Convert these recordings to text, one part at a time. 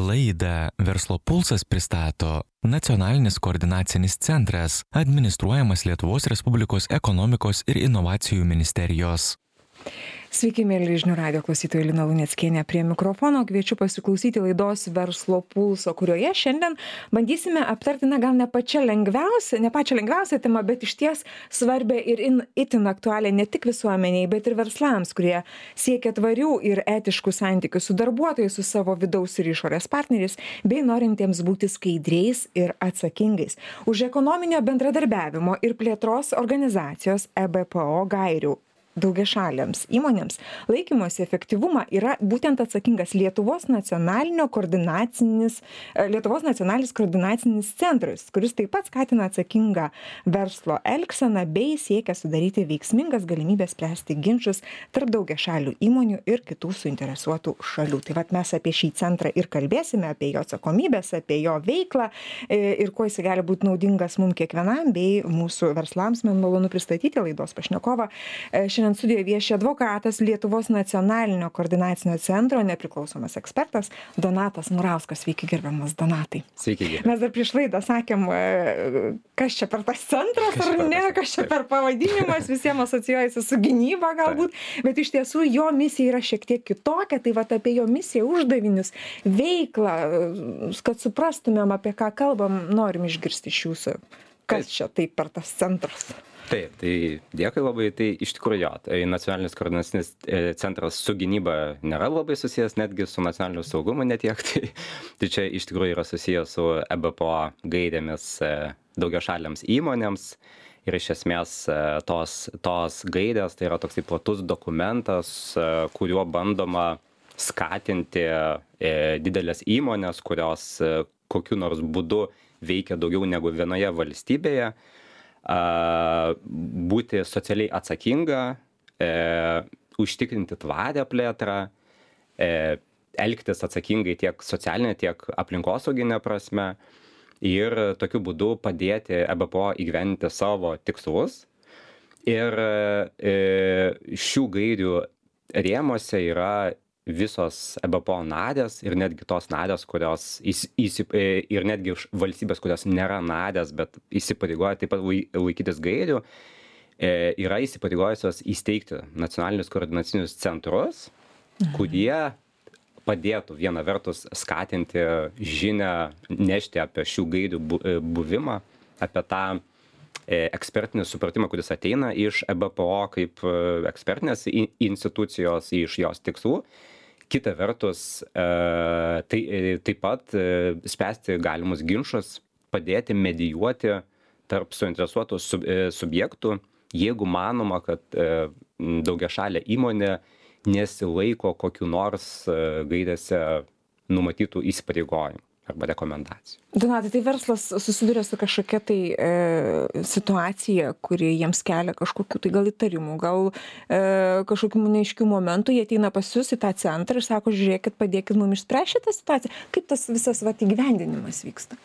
Laidą Verslo pulsas pristato Nacionalinis koordinacinis centras, administruojamas Lietuvos Respublikos ekonomikos ir inovacijų ministerijos. Sveiki, mėly žinių radijo klausytojai, Lina Luneckienė prie mikrofono. Kviečiu pasiklausyti laidos Verslo pulso, kurioje šiandien bandysime aptarti, gal ne pačią lengviausią temą, bet išties svarbę ir itin aktualią ne tik visuomeniai, bet ir verslams, kurie siekia tvarių ir etiškų santykių su darbuotojais, su savo vidaus ir išorės partneriais, bei norintiems būti skaidriais ir atsakingais. Už ekonominio bendradarbiavimo ir plėtros organizacijos EBPO gairių daugiašaliams įmonėms laikymosi efektyvumą yra būtent atsakingas Lietuvos nacionalinis koordinacinis centras, kuris taip pat skatina atsakingą verslo elgseną bei siekia sudaryti veiksmingas galimybės spręsti ginčus tarp daugiašalių įmonių ir kitų suinteresuotų šalių. Tai vat mes apie šį centrą ir kalbėsime, apie jo atsakomybės, apie jo veiklą ir kuo jis gali būti naudingas mums kiekvienam bei mūsų verslams. Man malonu pristatyti laidos pašnekovą. Šiandien studijoje vieši advokatas, Lietuvos nacionalinio koordinacinio centro nepriklausomas ekspertas Donatas Murauskas. Sveiki, gerbiamas Donatai. Sveiki. Mes dar prieš laidą sakėm, kas čia per tas centras ar ne, kas čia per pavadinimas, visiems asocijuojasi su gynyba galbūt, bet iš tiesų jo misija yra šiek tiek kitokia, tai vat apie jo misiją, uždavinius, veiklą, kad suprastumėm, apie ką kalbam, norim išgirsti iš jūsų. Kas čia taip per tas centras? Taip, tai dėkui labai, tai iš tikrųjų jo, tai nacionalinis koordinacinis centras su gynyba nėra labai susijęs, netgi su nacionaliniu saugumu netiek, tai čia iš tikrųjų yra susijęs su EBPO gairėmis daugiašaliams įmonėms ir iš esmės tos gairės tai yra toksai platus dokumentas, kuriuo bandoma skatinti didelės įmonės, kurios kokiu nors būdu veikia daugiau negu vienoje valstybėje, būti socialiai atsakinga, užtikrinti tvarę plėtrą, elgtis atsakingai tiek socialinė, tiek aplinkosauginė prasme ir tokiu būdu padėti EBPO įgyvendinti savo tikslus. Ir šių gairių rėmuose yra visos EBPO narės ir netgi tos narės, kurios ir netgi valstybės, kurios nėra narės, bet įsipareigoja taip pat laikytis gairių, yra įsipareigojusios įsteigti nacionalinius koordinacinius centrus, kurie padėtų viena vertus skatinti žinią, nešti apie šių gairių buvimą, apie tą ekspertinį supratimą, kuris ateina iš EBPO kaip ekspertinės institucijos, iš jos tikslų. Kita vertus, tai taip pat spręsti galimus ginčus, padėti medijuoti tarp suinteresuotų subjektų, jeigu manoma, kad daugiašalė įmonė nesilaiko kokiu nors gairėse numatytų įsipareigojimų arba rekomendacijų. Donatai, tai verslas susiduria su kažkokia tai situacija, kuri jiems kelia kažkokių tai gal įtarimų, gal kažkokių neaiškių momentų, jie ateina pas jūs į tą centrą ir sako, žiūrėkit, padėkit mums išspręsti šitą situaciją. Kaip tas visas įgyvendinimas vyksta?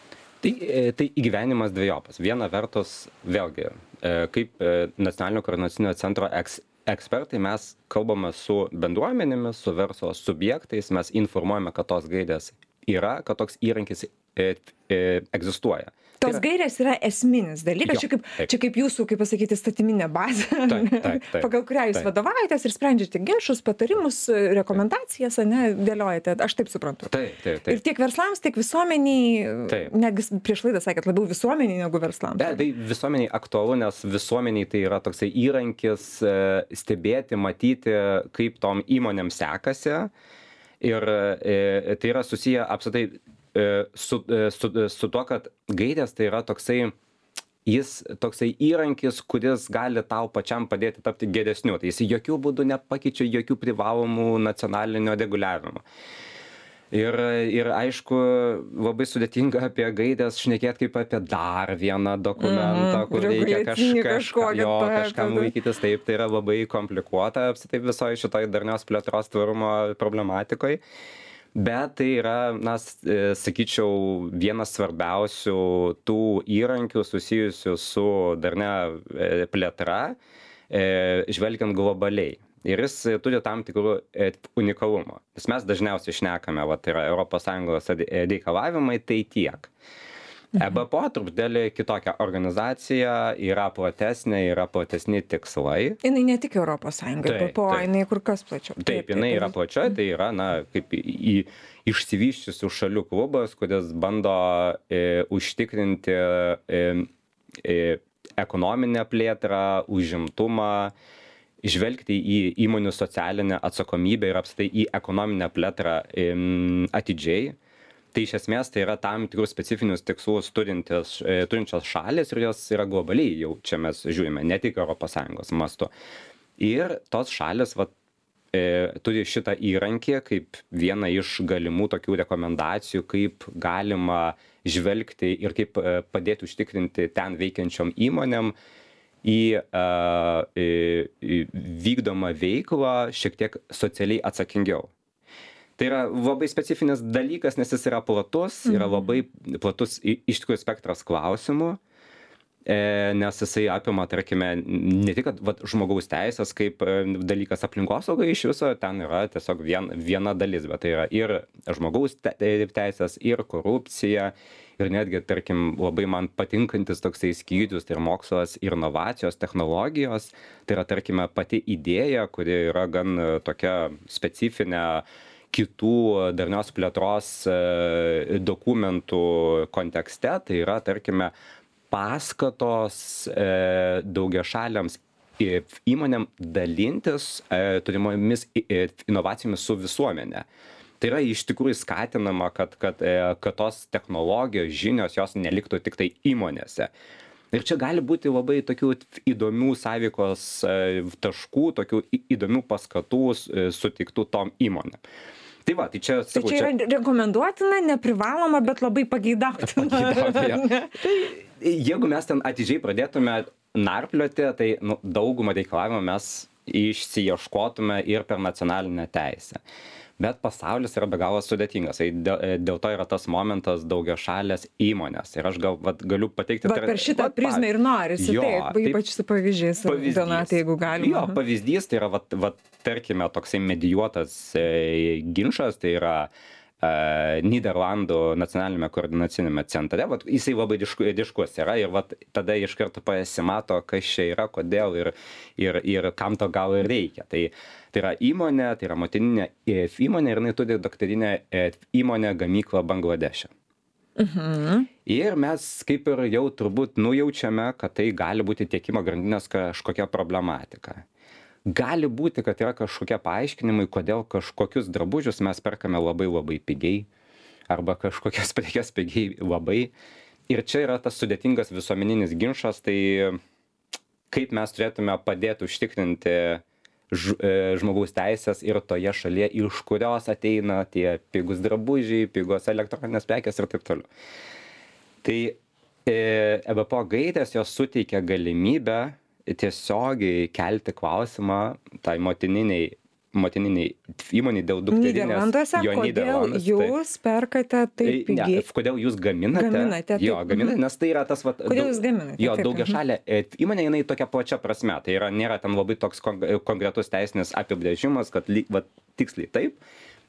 Tai įgyvendinimas dvejopas. Viena vertus, vėlgi, kaip nacionalinio koordinacinio centro ekspertai mes kalbame su bendruomenėmis, su verslo subjektais, mes informuojame, kad tos gairės yra, kad toks įrankis egzistuoja. Tos gairės yra esminis dalykas, čia kaip jūsų, kaip pasakyti, statyminė bazė, taip. pagal kurią jūs vadovaujatės ir sprendžiate ginčus, patarimus, rekomendacijas, dėliojate, aš taip suprantu. Taip. Ir tiek verslams, tiek visuomeniai, netgi prieš laidą sakėt, labiau visuomeniai negu verslams. Tai visuomeniai aktualu, nes visuomeniai tai yra toksai įrankis stebėti, matyti, kaip tom įmonėm sekasi. Ir tai yra susiję apskritai su tuo, kad gairės tai yra toksai įrankis, kuris gali tau pačiam padėti tapti geresniu. Tai jis jokių būdų nepakeičia jokių privalomų nacionalinio reguliavimo. Ir aišku, labai sudėtinga apie gairės šnekėti kaip apie dar vieną dokumentą, kur reikia kažkam laikytis. Taip, tai yra labai komplikuota apskritai visoje šitoje darnios plėtros tvarumo problematikoje. Bet tai yra, sakyčiau, vienas svarbiausių tų įrankių susijusių su darnia plėtra, žvelgiant globaliai. ir jis turi tam tikrų unikalumų. Nes mes dažniausiai šnekame, tai yra ES reikalavimai, tai tiek. EBPO truputėlį kitokia organizacija, yra platesni tikslai. Jinai ne tik ES, EBPO, jinai kur kas plačiau. Taip, jinai yra plačia, tai yra, kaip išsivysčiusių šalių klubas, kuris bando užtikrinti ekonominę plėtrą, užimtumą, žvelgti į įmonių socialinę atsakomybę ir apskritai į ekonominę plėtrą atidžiai. Tai iš esmės tai yra tam tikrus specifinius tikslus turinčios šalis ir jos yra globaliai, jau čia mes žiūrime, ne tik ES mastu. Ir tos šalis turi šitą įrankį kaip vieną iš galimų tokių rekomendacijų, kaip galima žvelgti ir kaip padėti užtikrinti ten veikiančiom įmonėm į vykdomą veiklą šiek tiek socialiai atsakingiau. Tai yra labai specifinis dalykas, nes jis yra platus, yra labai platus iš tikrųjų spektras klausimų, nes jisai apima, tarkime, ne tik žmogaus teisės kaip dalykas aplinkosaugai iš viso, ten yra tiesiog viena dalis, bet tai yra ir žmogaus teisės, ir korupcija, ir netgi, tarkim, labai man patinkantis toksai skyrius, tai yra mokslas ir inovacijos, technologijos, tai yra, tarkime, pati idėja, kuri yra gan tokia specifinė kitų darnios plėtros dokumentų kontekste, tai yra, tarkime, paskatos daugiašaliams įmonėm dalintis turimomis inovacijomis su visuomenė. Tai yra iš tikrųjų skatinama, kad tos technologijos, žinios, jos neliktų tik tai įmonėse. Ir čia gali būti labai tokių įdomių sąveikos taškų, tokių įdomių paskatų sutiktų tom įmonėm. Tai va, tai čia, sakau, tai čia yra rekomenduotina, neprivaloma, bet labai pageidautina. Tai jeigu mes ten atidžiai pradėtume narplioti, tai daugumą reikalavimų mes išsiieškotume ir per nacionalinę teisę. Bet pasaulis yra be galo sudėtingas. Dėl to yra tas momentas daugiašalės įmonės. Ir aš galiu pateikti... Per šitą prizmę ir norisi, taip, ypač su pavyzdžiais, Donatai, jeigu galima. Jo, pavyzdys tai yra, tarkime, toksai medijuotas ginčas, tai yra Nyderlandų nacionalinėme koordinacinėme centre, jisai labai ryškus yra ir tada iš karto pasimato, kas čia yra, kodėl ir kam to gal ir reikia. Tai yra įmonė, tai yra motininė įmonė ir jinai turi dukterinę įmonę gamyklą Bangladeše. Ir mes kaip ir jau turbūt nujaučiame, kad tai gali būti tiekimo grandinės kažkokia problematika. Gali būti, kad yra kažkokie paaiškinimai, kodėl kažkokius drabužius mes perkame labai labai pigiai arba kažkokias prekes pigiai labai. Ir čia yra tas sudėtingas visuomeninis ginčas, tai kaip mes turėtume padėti užtikrinti žmogaus teisės ir toje šalyje, iš kurios ateina tie pigus drabužiai, pigos elektroninės prekės ir taip toliau. Tai EBPO gairės jos suteikia galimybę tiesiogiai kelti klausimą tai motininiai įmoniai dėl dukterinės. Kodėl jūs perkate taip pigiai? Kodėl jūs gaminate? Jo, gaminate, nes tai yra tas... Kodėl jūs gaminate? Jo, daugiašalė įmonė, jinai tokia plačia prasme. Tai nėra ten labai toks konkretus teisinis apibrėžimas, kad tiksliai taip.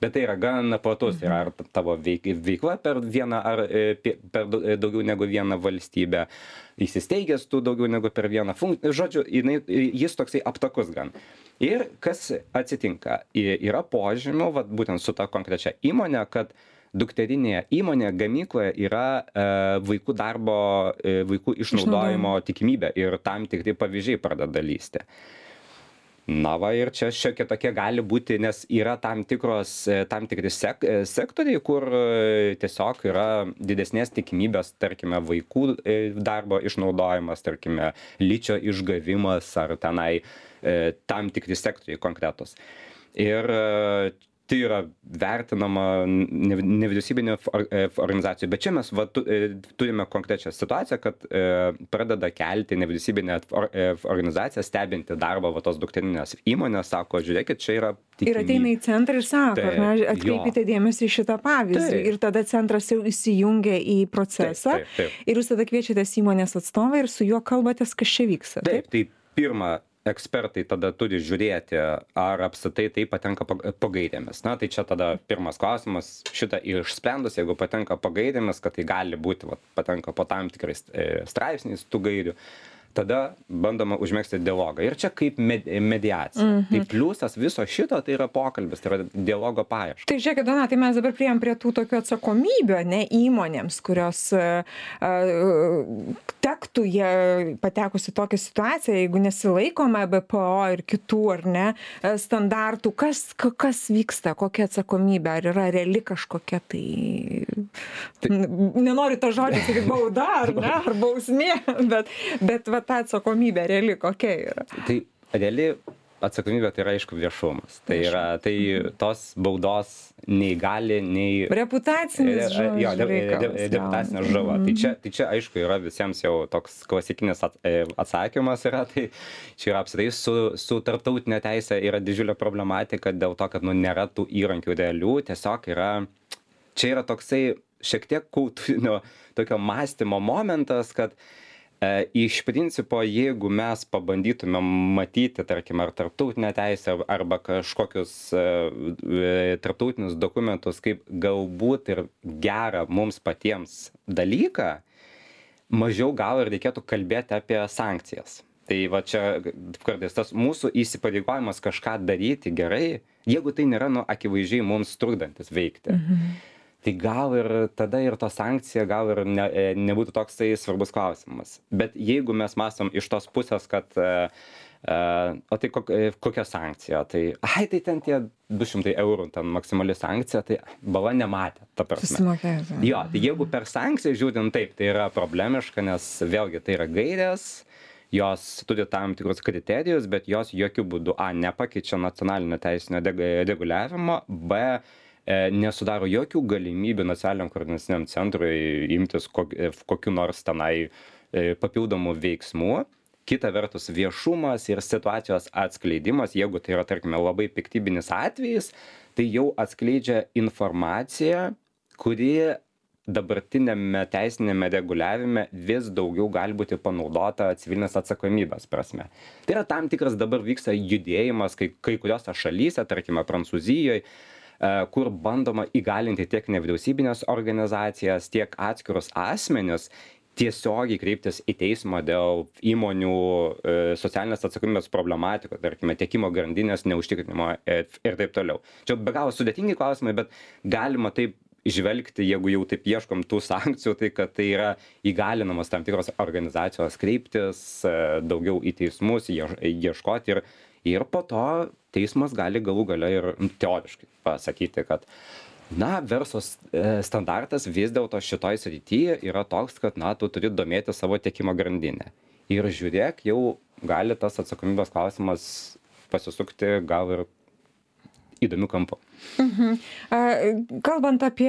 Bet tai yra gan platus, yra ar tavo veikla per vieną ar per daugiau negu vieną valstybę, įsisteigęs tu daugiau negu per vieną funkciją, žodžiu, jis toksai aptakus gan. Ir kas atsitinka, yra požymių, būtent su ta konkrečia įmonė, kad dukterinėje įmonėje gamykloje yra vaikų darbo, vaikų išnaudojimo tikimybė ir tam tikri pavyzdžiai pradeda lysti. Ir čia šiokia tokia gali būti, nes yra tam tikri sektoriai, kur tiesiog yra didesnės tikimybės, tarkime, vaikų darbo išnaudojimas, tarkime, ličio išgavimas ar tenai tam tikri sektoriai konkretus. Ir tai yra vertinama nevyriausybinė organizacijų, bet čia mes turime konkrečią situaciją, kad pradeda kelti nevyriausybinė organizacija, stebinti darbą tos dukterinės įmonės, sako, žiūrėkit, čia yra tikimybė. Ir ateina į centrą ir sako, atkreipite dėmesį į šitą pavyzdį. Ir tada centras jau įsijungia į procesą. Ir jūs tada kviečiatės įmonės atstovą ir su juo kalbatės, kas čia vyksta. Taip, tai pirma, ekspertai tada turi žiūrėti, ar apskritai tai patenka po gairėmis. Na, tai čia tada pirmas klausimas, šitą išsprendus, jeigu patenka po gairėmis, kad tai gali būti, patenka po tam tikrais straipsniais tų gairių, tada bandoma užmėgsti dialogą. Ir čia kaip mediacija. Tai pliusas viso šito, tai yra pokalbis, tai yra dialogo paieška. Tai žiūrėkit, Donatai, mes dabar priėjom prie tų tokių atsakomybių, ne, įmonėms, kurios tektų jie patekusi tokią situaciją, jeigu nesilaikoma BPO ir kitų, ar ne, standartų. Kas vyksta, kokia atsakomybė, ar yra reali kažkokia nenoriu to žodžio, sakyti bauda, ar ne, ar bausmė, bet va ta atsakomybė reali kokia yra? Tai reali atsakomybė tai yra aišku viešumas. Tai yra, tai tos baudos nei gali, nei... Reputacinis reputacinė žala. Tai čia aišku yra visiems jau toks klasikinis atsakymas yra, tai čia yra apskritai su tarptautinė teisė yra didžiulė problematika dėl to, kad nėra tų įrankių realių, tiesiog yra, čia yra toksai šiek tiek kultūrinio tokio mąstymo momentas, kad iš principo, jeigu mes pabandytume matyti, tarkim, ar tarptautinę teisę, arba kažkokius tarptautinius dokumentus, kaip galbūt ir gerą mums patiems dalyką, mažiau gal ir reikėtų kalbėti apie sankcijas. Tai va čia kartais tas mūsų įsipareigojimas kažką daryti gerai, jeigu tai nėra akivaizdžiai mums trukdantis veikti. Tai gal ir tada ir to sankcija gal ir nebūtų toksai svarbus klausimas. Bet jeigu mes mąstom iš tos pusės, kad o tai kokia sankcija? Tai, tai ten tie 200 eurų, ten maksimali sankcija, tai bala nematė, ta prasme. Jo, tai jeigu per sankciją žiūrint taip, tai yra problemiška, nes vėlgi tai yra gairės, jos turi tam tikrus kriterijus, bet jos jokių būdų nepakeičia nacionalinio teisinio reguliavimo, nesudaro jokių galimybių nacionaliniam koordinaciniam centrui imtis kokiu nors tenai papildomų veiksmų. Kita vertus, viešumas ir situacijos atskleidimas, jeigu tai yra, tarkime, labai piktybinis atvejis, tai jau atskleidžia informaciją, kuri dabartinėme teisinėme reguliavime vis daugiau gali būti panaudota civilinės atsakomybės prasme. Tai yra tam tikras dabar vyksta judėjimas kai kuriuose šalyse, tarkime, Prancūzijoje, kur bandoma įgalinti tiek nevyriausybinės organizacijas, tiek atskirus asmenis tiesiogiai kreiptis į teismą dėl įmonių socialinės atsakomybės problematikos, tarkime, tiekimo grandinės neužtikrinimo ir taip toliau. Čia be galo sudėtingi klausimai, bet galima taip žvelgti, jeigu jau taip ieškom tų sankcijų, tai kad tai yra įgalinamas tam tikros organizacijos kreiptis daugiau į teismus, ieškoti ir po to teismas gali galų gale ir teoriškai pasakyti, kad verslo standartas vis dėlto šitoj srityje yra toks, kad tu turi domėti savo tiekimo grandinę. Ir žiūrėk, jau gali tas atsakomybės klausimas pasisukti gal ir įdomių kampų. Kalbant apie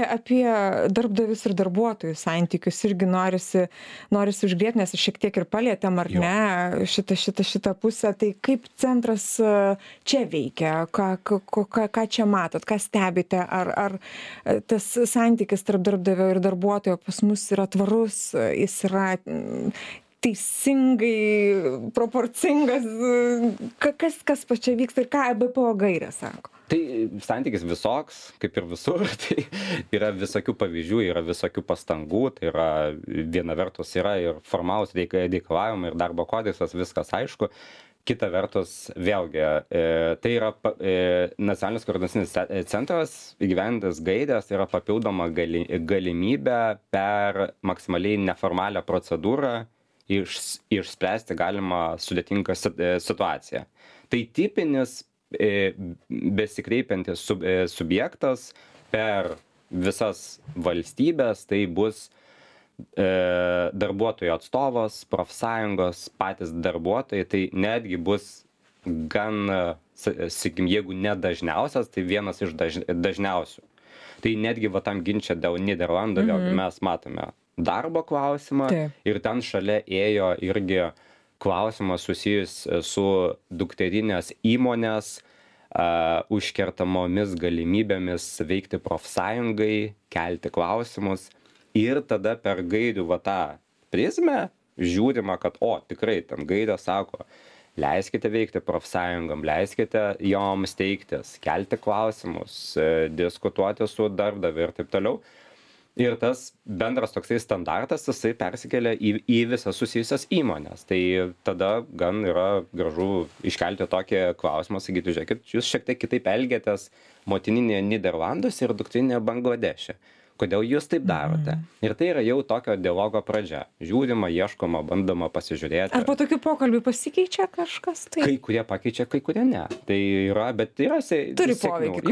darbdavius ir darbuotojų santykius, irgi norisi užgrėti, nes šiek tiek ir palėtėm, ar ne, šitą pusę. Tai kaip centras čia veikia, ką čia matot, ką stebite, ar tas santykis tarp darbdavio ir darbuotojo pas mus yra tvarus, jis yra teisingai, proporcingas, kas pačia vyksta ir ką BPO gairė sako? Tai santykis visoks, kaip ir visur, tai yra visokių pavyzdžių, yra visokių pastangų, tai yra viena vertus yra ir formalūs reikalavimai ir darbo kodeksas, viskas aišku. Kita vertus, vėlgi, tai yra nacionalinis koordinacinis centras įgyvendintas gairės, tai yra papildoma galimybė per maksimaliai neformalią procedūrą išspręsti galimą sudėtingą situaciją. Tai tipinis besikreipiantis subjektas per visas valstybės, tai bus darbuotojų atstovas, profsąjungos, patys darbuotojai, tai netgi bus gan, sakykim, jeigu ne dažniausias, tai vienas iš dažniausių. Tai netgi tam ginče dėl Nyderlandų, vėlgi mes matome darbo klausimą ir ten šalia ėjo irgi klausimas susijus su dukterinės įmonės užkertamomis galimybėmis veikti profsąjungai, kelti klausimus ir tada per gairių tą prizmę žiūrima, kad tikrai ten gairė sako, leiskite veikti profsąjungom, leiskite joms steigtis, kelti klausimus, diskutuoti su darbdaviu ir taip toliau. Ir tas bendras toksai standartas, jisai persikelia į visas susijusias įmonės. Tai tada gan yra gražu iškelti tokį klausimą, sakyti, žiūrėkit, jūs šiek tiek kitaip elgiatės motininėje Niderlanduose ir dukterinėje Bangladeše. Kodėl jūs taip darote? Ir tai yra jau tokio dialogo pradžia. Žiūrima, ieškoma, bandoma pasižiūrėti. Ar po tokių pokalbių pasikeičia kažkas? Tai? Kai kurie pakeičia, kai kurie ne. Tai yra, bet yra turi poveikį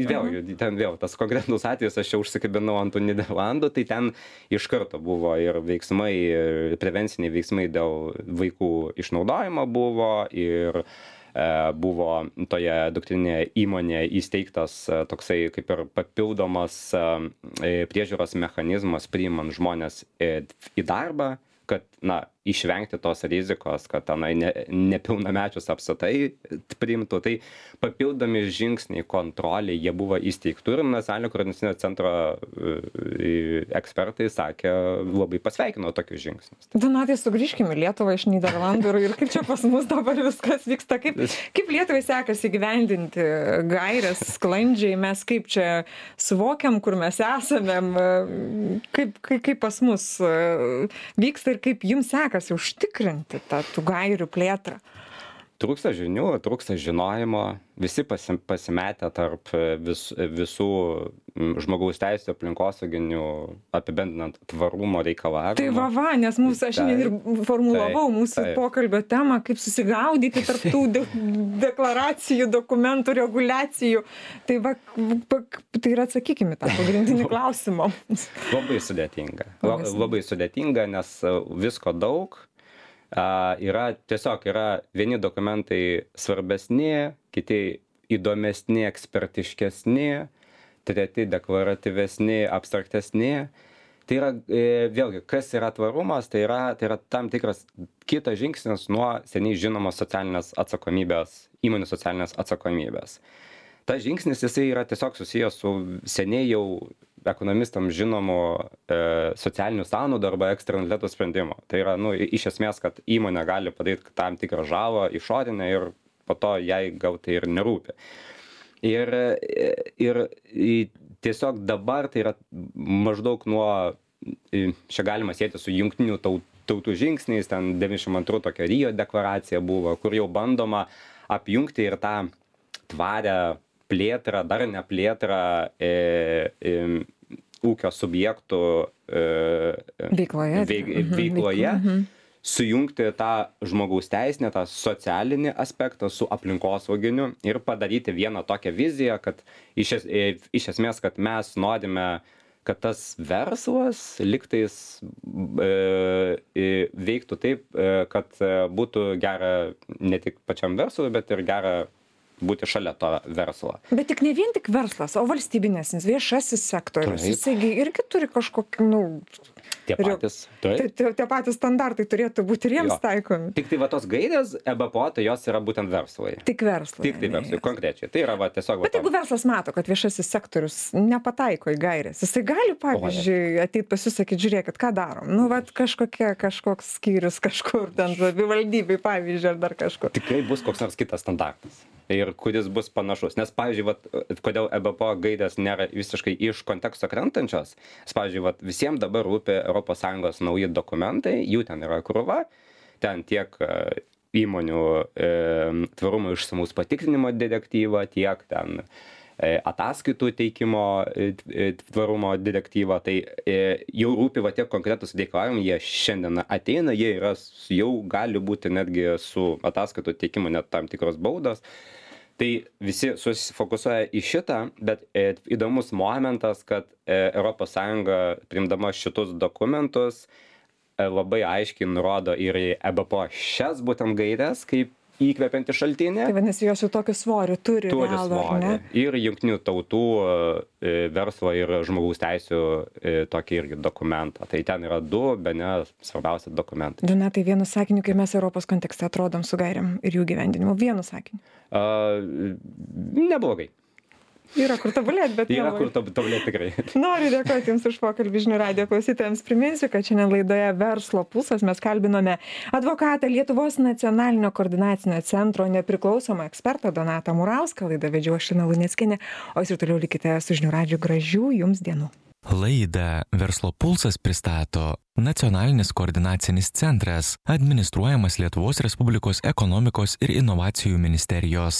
vėlgi, ten vėl tas konkretus atvejis, aš čia užsikabinau ant tų Niderlandų, tai ten iš karto buvo ir veiksmai, prevenciniai veiksmai dėl vaikų išnaudojimo buvo ir buvo toje dukterinėje įmonėje įsteigtas toksai kaip ir papildomas priežiūros mechanizmas priimant žmones į darbą, kad, na, išvengti tos rizikos, kad tenai nepilnamečius apskritai priimtų. Tai papildomi žingsniai kontrolė, jie buvo įsteigti ir nacionalinio koordinacinio centro ekspertai sakė, labai pasveikino tokius žingsnius. Donatai, sugrįžkime į Lietuvą iš Niderlandų ir kaip čia pas mus dabar viskas vyksta, kaip Lietuvai sekasi įgyvendinti gaires sklandžiai, mes kaip čia suvokiam, kur mes esame, kaip pas mus vyksta ir kaip jums sekasi užtikrinti tų gairių plėtrą? Trūksta žinių, trūksta žinojimo, visi pasimetę tarp visų žmogaus teisų aplinkosauginių apibendrinant tvarumo reikalavimų. Tai nes aš ir formulavau mūsų pokalbio temą, kaip susigaudyti tarp tų deklaracijų, dokumentų, reguliacijų. Tai ir atsakykime tą pagrindinį klausimą. Labai sudėtinga. Labai sudėtinga, nes visko daug. Tiesiog yra vieni dokumentai svarbesni, kiti įdomesni, ekspertiškesni, treti deklaratyvesni, abstraktesni. Tai yra, vėlgi, kas yra tvarumas, tai yra tam tikras kitas žingsnis nuo seniai žinomos socialinės atsakomybės, įmonių socialinės atsakomybės. Tas žingsnis, jisai yra tiesiog susijęs su seniai jau ekonomistams žinomu socialinių sąnaudų arba eksternalitetų sprendimo. Tai yra, iš esmės, kad įmonė gali padaryti tam tikrą žalą išorinę ir po to jai gal tai ir nerūpi. Ir tiesiog dabar tai yra maždaug nuo, čia galima sieti su jungtinių tautų žingsniais, ten 92 tokia Rio deklaracija buvo, kur jau bandoma apjungti ir tą tvarę plėtrą, darnią plėtrą ūkio subjektų veikloje, sujungti tą žmogaus teisinę, tą socialinį aspektą su aplinkosauginiu ir padaryti vieną tokią viziją, kad iš esmės, kad mes norime, kad tas verslas liktais veiktų taip, kad būtų gera ne tik pačiam verslui, bet ir gera būti šalia to verslo. Bet tik ne vien tik verslas, o valstybinės, viešasis sektorius. Jisai irgi turi kažkokį, Tie patys standartai turėtų būti ir jiems taikomi. Tik tai tos gairės EBPO, tai jos yra būtent verslai. Tik verslai. Tik tai verslai, konkrečiai. Tai yra tiesiog... Bet jeigu verslas mato, kad viešasis sektorius nepataiko į gairės, jisai gali, pavyzdžiui, ateit pasisakyti, žiūrėkit, ką darom. Kažkoks skyrius kažkur, ten savivaldybei, pavyzdžiui, ar dar kažkur. Tikrai bus koks nors kitas standartas. Ir kuris bus panašus. Nes, pavyzdžiui, kodėl EBPO gairės nėra visiškai iš konteksto krentančios, pavyzdžiui, visiems dabar rūpi ES nauji dokumentai, jų ten yra krūva, ten tiek įmonių tvarumo išsamaus patikrinimo direktyva, tiek ten ataskaitų teikimo tvarumo direktyva, tai jau rūpi tiek konkretus reikalavimai, jie šiandien ateina, jie yra, jau gali būti netgi su ataskaitų teikimu net tam tikros baudos. Tai visi susifokusuoja į šitą, bet įdomus momentas, kad ES priimdama šitus dokumentus labai aiškiai nurodo ir į EBPO šias būtent gaires kaip įkvepiantį šaltinį. Tai vadinasi, jos jau tokį svorį turi realų, ar ne? Ir jungtinių tautų verslo ir žmogaus teisių tokį irgi dokumentą. Tai ten yra bene svarbiausi dokumentai. Donatai, vienu sakiniu, kai mes Europos kontekste atrodom su gairiam ir jų gyvendinimu. Vienu sakiniu. Neblogai. Yra kur tobulėti, bet yra kur tobulėti tikrai. Noriu dėkoti Jums už pokalbį žinių radijo klausytojams. Priminsiu, kad šiandien laidoje Verslo pulsas mes kalbinome advokatą Lietuvos nacionalinio koordinacinio centro nepriklausomą ekspertą Donatą Murauską. Laidą vedžiau aš Lina Luneckienė, o Jūs ir toliau likite su žinių radiju. Gražių Jums dienų. Laidą Verslo pulsas pristato Nacionalinis koordinacinis centras, administruojamas Lietuvos Respublikos ekonomikos ir inovacijų ministerijos.